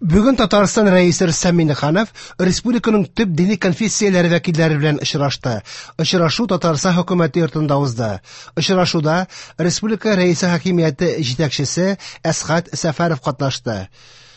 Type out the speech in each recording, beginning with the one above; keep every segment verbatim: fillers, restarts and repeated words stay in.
Бүген Татарстан Рәисе Рөстәм Миңнеханов республиканың төп дини конфессияләре вәкилләре белән очрашты. Очрашу Татарстан хөкүмәте йортында узды. Очрашуда республика Рәисе хакимияте җитәкчесе Әсхәт Сәфәров катнашты.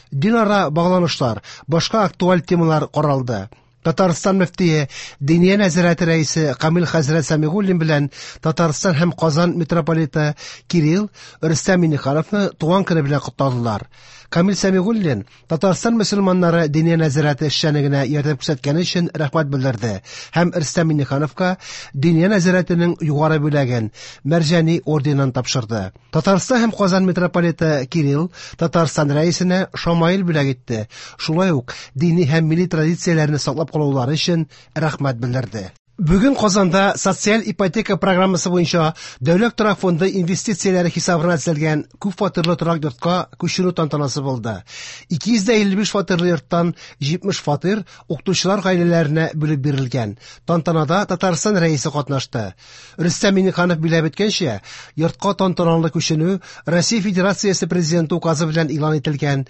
Динара багланышлар, башка актуаль темалар каралды. Татарстан мөфтие Диния нәзарәте рәисе Камил хәзрәт Сәмигуллин белән Татарстан һәм Казан митрополиты Кирилл Рөстәм Миңнехановны туган көне белән котладылар. Камил Сәмигуллин Татарстан мөселманнары Диния нәзарәте эшчәнлегенә ярдәм күрсәткәне өчен рәхмәт белдерде һәм Рөстәм Миңнехановка Диния нәзарәтенең югары бүләген Мәрҗани орденын тапшырды. Татарстан һәм Казан митрополиты Кирилл Татарстан рәисенә шамаил бүләк итте. Шулай ук дини һәм милли традицияләрне саклап калулары өчен рәхмәт белдерде. Бүген Казанда социаль ипотека программасы буенча Дәүләт торак фонды инвестицияләре хисабына төзелгән күп фатирлы торак йортка күчерү тантанасы булды. ике йөз илле биш фатирлы йорттан җитмеш фатир укытучылар гаиләләренә бүлеп бирелгән. Тантанада Татарстан Рәисе катнашты. Рөстәм Миңнеханов билгеләп үткәнчә, йортка тантаналы күченү Россия Федерациясе Президенты указы белән игълан ителгән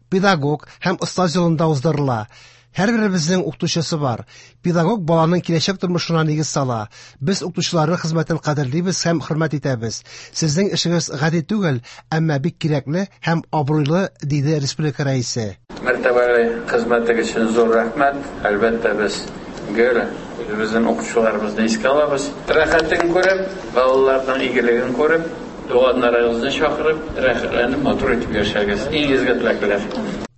педагог һәм остаз елында уздырыла. Һәрберебезнең укытучысы бар. Педагог баланың киләчәк тормышына нигез сала. Без укытучыларның хезмәтен кадерлибез һәм хөрмәт итәбез. Сезнең эшегез гади түгел, әмма бик кирәкле һәм абруйлы, диде республика рәисе. Мәртәбәле хезмәтегез өчен зур рәхмәт. Әлбәттә, без гел үзебезнең укытучыларыбызны искә алабыз. Рәхәтен күреп, балаларның игелеген күреп, туганнарыгызны чакырып, рәхәтләнеп матур итеп яшәгез. Иң изге теләкләр.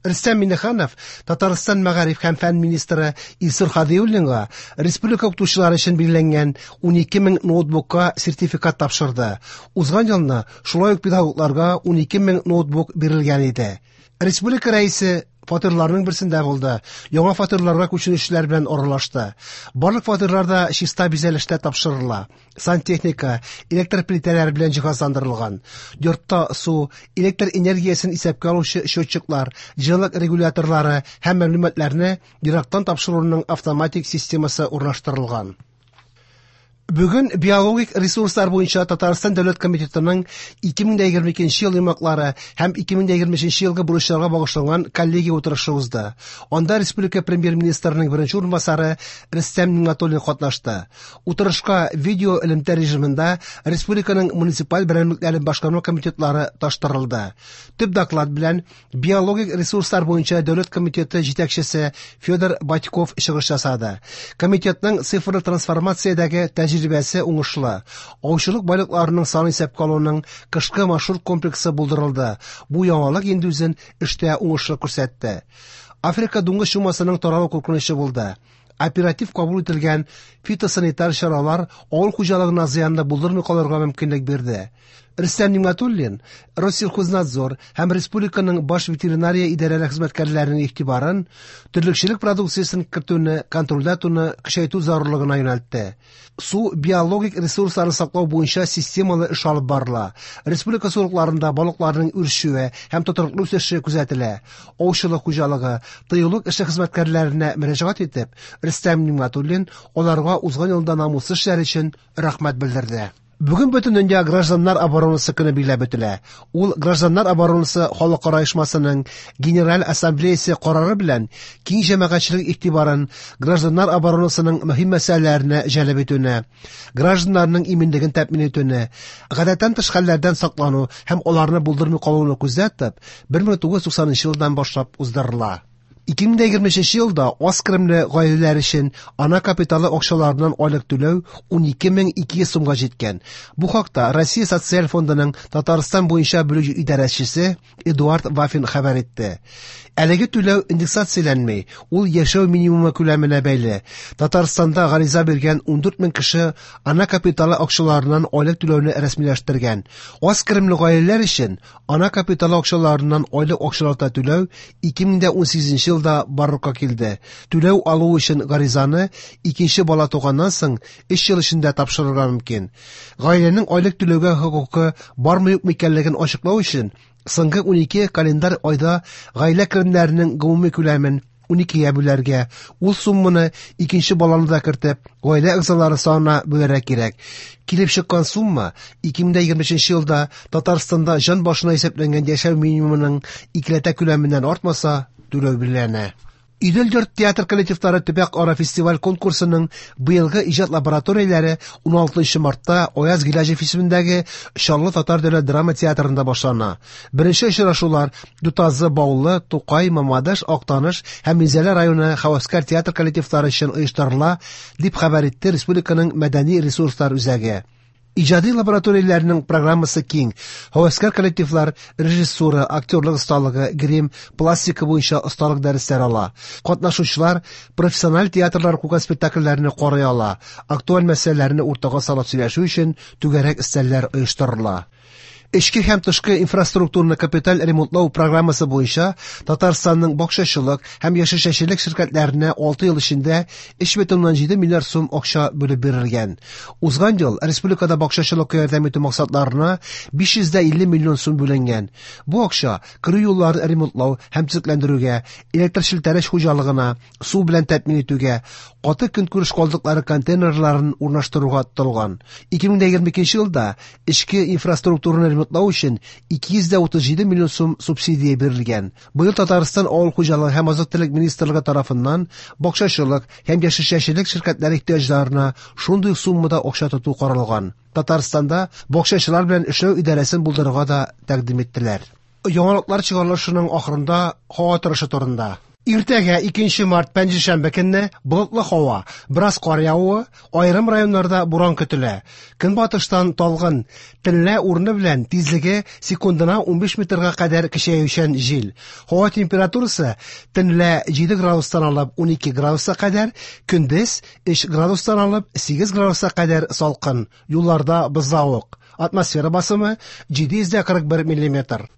Рөстәм Миңнеханов Татарстан мәгариф һәм фән министры Илсур Һадиуллинга республика укытучылары өчен билгеләнгән унике мең ноутбукка сертификат тапшырды. Узган елны шулай ук педагогларга унике мең ноутбук бирелгән иде. Республика рәисе фатирларның берсендә булды. Яңа фатирларга күченүчеләр белән аралашты. Барлык фатирлар да чиста бизәлештә тапшырыла. Сантехника, электр плитәләре белән җиһазландырылган. Йортта су, электр энергиясен исәпкә алучы счетчиклар, җылылык регуляторлары һәм мәгълүматларны ерактан тапшыруның автоматик системасы урнаштырылган. Бүген биологик ресурслар буенча Татарстан Дәүләт комитетының ике мең егерме икенче ел йомгаклары һәм ике мең егерме өченче елгы бурычларга багышланган коллегия утырышы узды. Анда республика премьер-министрының беренче урынбасары Рөстәм Нигъмәтуллин катнашты. Утырышка видео элемтә режимында республиканың муниципаль берәмлекләрен башкарма комитетлары таштырылды. Төп доклад белән биологик ресурслар буенча Дәүләт комитеты җитәкчесе Федор Батьков чыгыш ясады. Комитетның цифрлы трансформациядәге тәҗрибәсе уңышлы. Аучылык байлыкларының сан исәпкә алуның кышкы маршрут комплексы булдырылды. Бу яңалык инде үзен эштә уңышлы күрсәтте. Африка дуңгыз чумасының таралу куркынычы булды. Оператив кабул ителгән фитосанитар чаралар авыл хуҗалыгына зыянны булдырмый калырга мөмкинлек бирде. Рөстәм Нигъмәтуллин Россельхознадзор һәм республиканың баш ветеринария идарәләре хезмәткәрләренең игътибарын терлекчелек продукциясен кертүне контрольдә тотуны көчәйтү зарурлыгына юнәлтте. Су биологик ресурсларын саклау буенча системалы эш алып барыла. Республика сулыкларында балыкларның үрчүе һәм тотрыклы үсеше күзәтелә. Аучылык хуҗалыгы, тыюлык эше хезмәткәрләренә мөрәҗәгать итеп, Рөстәм Нигъмәтуллин аларга узган елда намуслы эшләре өчен рәхмәт белдерде. Бүген бөтен дөнья гражданнар оборонасы көне билгеләп үтелә. Ул Гражданнар оборонасы халыкара оешмасының Генераль Ассамблеясы карары белән киң җәмәгатьчелек игътибарын гражданнар оборонасының мөһим мәсьәләләренә җәлеп итүне, гражданнарның иминлеген тәэмин итүне, гадәттән тыш хәлләрдән саклану һәм аларны булдырмый калуны күздә тотып, бер мең тугыз йөз туксанынчы елдан башлап уздырыла. Ике мең егерме өченче елда аз керемле гаиләләр өчен ана капиталы акчаларыннан айлык түләү унике мең ике йөз сумга җиткән. Бу хакта Россия Социаль фондының Татарстан буенча бүлек идарәчесе Эдуард Вафин хәбәр итте. Әлеге түләү индексацияләнми, ул яшәү минимумы күләменә бәйле. Татарстанда гариза биргән ундүрт мең кеше ана капиталы акчаларыннан айлык түләүне рәсмиләштергән. Аз керемле гаиләләр өчен ана капиталы акчаларыннан айлык акчалата түләү ике мең унсигезенче елда барлыкка килде. Түләү алу өчен гаризаны икенче бала туганнан соң өч ел эчендә тапшырырга мөмкин. Гаиләнең айлык түләүгә хокукы бармы юкмы икәнлеген ачыклау өчен соңгы унике календарь айда гаилә керемнәренең гомуми күләмен уникегә бүләргә, ул сумманы икенче баланы да кертеп, гаилә әгъзалары санына бүләргә кирәк. Килеп чыккан сумма ике мең егерме өченче елда Татарстанда җан башына исәпләнгән яшәү минимумының икеләтә күләменнән артмаса, түләү билгеләнә. Идел-йорт театр коллективлары төбәк-ара фестиваль конкурсының быелгы иҗат лабораторияләре уналтынчы мартта Аяз Гыйләҗев исемендәге Чаллы татар дәүләт драма театрында башлана. Беренче очрашулар Ютазы, Баулы, Тукай, Мамадыш, Актаныш һәм Минзәлә районы һәвәскәр театр коллективлары өчен оештырыла, дип хәбәр итте республиканың мәдәни ресурслар үзәге. Иҗади лабораторияләрнең программасы киң. Һәвәскәр коллективлар режиссура, актерлык осталыгы, грим, пластика буенча осталык дәресләре ала. Катнашучылар профессиональ театрлар куйган спектакльләрне карый ала. Актуаль мәсьәләләрне уртага салып сөйләшү өчен түгәрәк өстәлләр оештырыла. Эчке һәм тышкы инфраструктураны капиталь ремонтлау программасы буенча Татарстанның бакчачылык һәм яшелчәчелек ширкәтләренә алты ел эчендә өч бөтен уннан җиде миллиард сум акча бүлеп бирелгән. Узган ел республикада бакчачылыкка ярдәм итү максатларына биш йөз дә илле миллион сум бүленгән. Бу акча керү юлларын ремонтлау һәм төзекләндерүгә, электр челтәре хуҗалыгына, су белән тәэмин итүгә, каты көнкүреш калдыклары контейнерларын урнаштыруга тотылган. ике мең егерме икенче елда эчке инфраструктураны ремонтлау өчен ике йөз дә утыз җиде миллион сум субсидия бирелгән. Быел Татарстан Авыл хуҗалыгы һәм азык-төлек министрлыгы тарафыннан бакчачылык һәм яшелчәчелек ширкәтләре ихтыяҗларына шундый суммада акча тоту каралган. Татарстанда бакчачылар белән эшләү идарәсен булдырырга да тәкъдим иттеләр. Яңалыклар чыгарылышының ахырында һава торышы турында. Иртәгә икенче март пәнҗешәмбе көнне болытлы һава, бераз кар явуы, аерым районнарда буран көтелә. Көнбатыштан талгын, төнлә урыны белән тизлеге секундына унбиш метрга кадәр көчәючән җил. Һава температурасы төнлә җиде градустан алып унике градуска кадәр, көндез өч градустан алып сигез градуска кадәр салкын. Юлларда бозлавык. Атмосфера басымы җиде йөз дә кырык бер миллиметр.